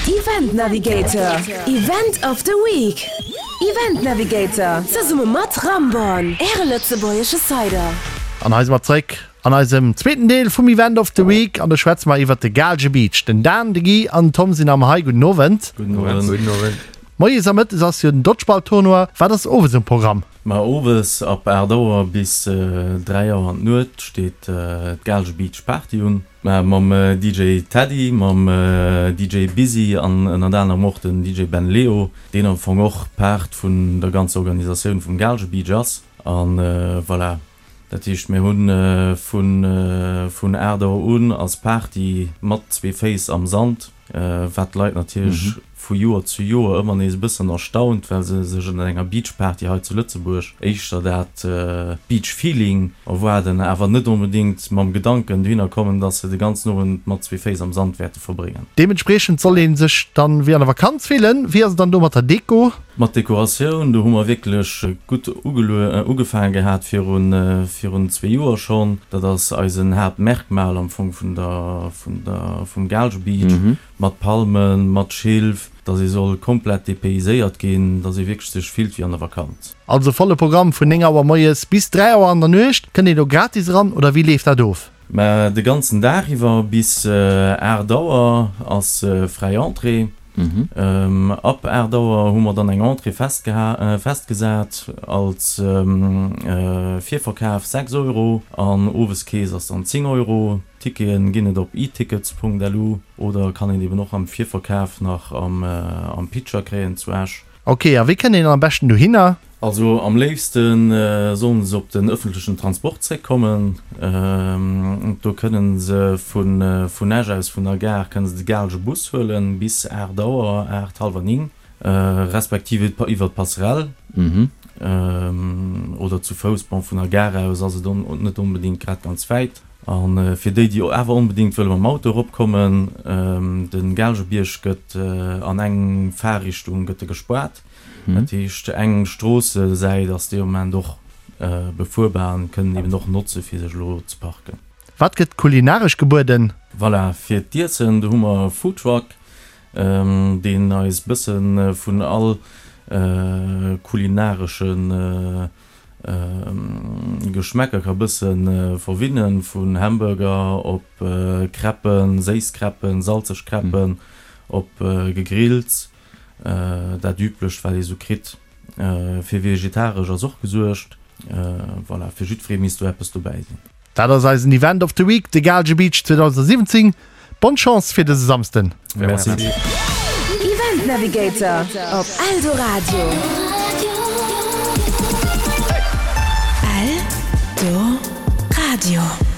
Event Navigator, Event of the Week! Event Navigator, zesumme mat Ramborn, Äre lëtzebuergesche Cider. An hei si mer zréck an eisem zweeten Deel vum Event of the Week an do schwätze mer iwwert de Gaalge Beach. Den Dan, de Guy an den Tom sinn am hei. Gudden Owend. Gudden Owend. Gudden Owend. Moies a mëttes ass jo den Dodgeball-Tournoi. Wat ass owes um Programm? Ma owes ab 8 Auer bis 3 Auer an d'Nuet steet d'Gaalge Beach Party un. Mam DJ Teddy, mam DJ Busy an ënnert anerem och den DJ Ben Leo, deen am Fong och Part vun der ganzer Organisatioun vum Gaalge Beach ass. A voilà, dat heescht mir hu vun vun 8 Auer un ass Party mat zwee Féiss am Sand. Wat d'Leit natierlech vu Joer zu Joer ëmmer nees e bëssen erstaunt, well se sech ënner enger Beachparty hei zu Lëtzebuerg éischter dat Beach-Feeling erwaarden, awer net onbedéngt mam Gedanken dohinner kommen, dass se de ganzen Owend mat zwee Féiss am Sand wäerte verbréngen. Deementspriechend soll ee sech dann wéi an der Vakanz fillen. Wéi ass et dann do mat der Deko? Mat Dekoratioun, do hu mer wierklech gutt ugefaange gehat virun zwee Joer schonn. Dat ass eisen Haaptmerkmal am Fong vun der, vun der, vum Gaalge Beach, mat Palmen, mat Schilf, dass ee soll komplett dépayséiert ginn, dass ee wierklech sech fillt wéi an der Vakanz. Also volle Programm vun 9 Auer moies bis 3 Auer an der Nuecht. Kënnt een do gratis eran oder wéi leeft dat of? Mä de ganzen Dag iwwer bis 8 Auer ass fräi Entrée. Ab 8 Auer hu mer dann eng Entrée festgesat als Virverkaf 6 Euro an Oweskees ass dann 10 Euro. Ticketen ginn et op etickets.lu oder kann een eben och am Virverkaf nach am Pitcher kréien zu Esch. Ok, a wéi kënnt een am beschten dohinner? Also am léifste sollen se op den ëffentlechen Transport zréckkommen. Do kënnen se vun Esch aus, vun der Gare, kënnen se de Gaalge Bus huelen bis 8 Auer, 8, hallwer 9, respektiv iwwer d'Passerelle oder zu Fouss. Bon, vun der Gare aus ass et net onbedéngt grad ganz wäit. A fir déi, déi awer onbedéngt wëlle mam Auto eropkommen, de Gaalgebierg gëtt an eng Fahrrichtung gëtt e gespaart. Dat heescht, eng Stroossesäit ass dee Moment och befuerbar an kënnen eben och notze fir sech elo ze parken. Wat gëtt kulinaresch gebueden? Voilà, fir d'Iessen, do hu mer e Foodtruck, deen eis bësse vun all kulinaresche Geschmäcker ka bësse verwinnen, vun Hamburger op Crêpen, séiss Crêpen, salzeg Crêpen, op Gegrills, dat üblecht wat ee sou kritt. Fir vegetaresch ass och gesuergt. Voilà, fir jiddweree misst do eppes dobäi sinn. Dat ass eisen Event of the Week, de Gaalge Beach 2017. Bonne Chance fir dëse Samsden! Merci. Event Navigator op Eldoradio. Eldoradio.